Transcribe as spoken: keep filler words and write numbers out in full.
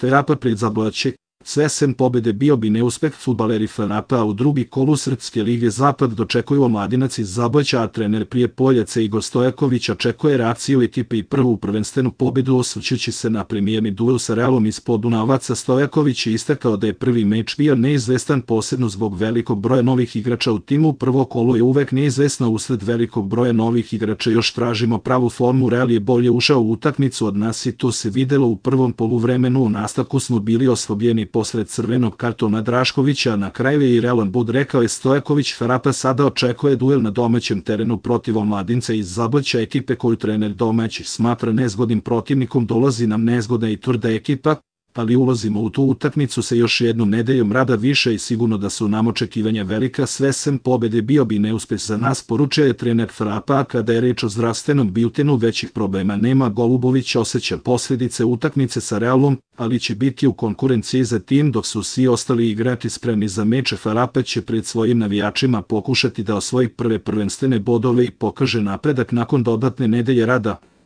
Ferapa pred Zablaće, sve sem pobede bio bi neuspeh. Fudbaleri Ferapa, a u drugi kolu Srpske lige Zapad dočekuju Omladinac iz Zablaća, a trener Prijepoljaca Igor Stojaković očekuje reakciju ekipe i prvu prvenstvenu pobedu. Osvrćući se na premijerni duel sa Realom iz Podunavaca, Stojaković je istakao da je prvi meč bio neizvestan, posebno zbog velikog broja novih igrača u timu. Prvo kolo je uvek neizvesno usled velikog broja novih igrača, još tražimo pravu formu. Real je bolje ušao u utakmicu od nas i to se videlo u prvom poluvremenu. U nastavku smo bili oslabljeni posred crvenog kartona Draškovića, na kraju je i realan bud, rekao je Stojaković. Ferapa sada očekuje duel na domaćem terenu protiv Omladinca iz Zablaća, ekipe koju trener domaći smatra nezgodnim protivnikom. Dolazi nam nezgodna i tvrda ekipa, ali ulazimo u tu utakmicu sa još jednom nedeljom rada više i sigurno da su nam očekivanja velika. Sve sem pobede bio bi neuspeh za nas, poručio je trener Ferapa. Kada je reč o zdravstvenom biltenu, većih problema nema. Golubović osjeća posljedice utakmice sa Realom, ali će biti u konkurenciji za tim, dok su svi ostali igrači spremni za meč. Ferapa će pred svojim navijačima pokušati da osvoji prve prvenstvene bodove i pokaže napredak nakon dodatne nedelje rada.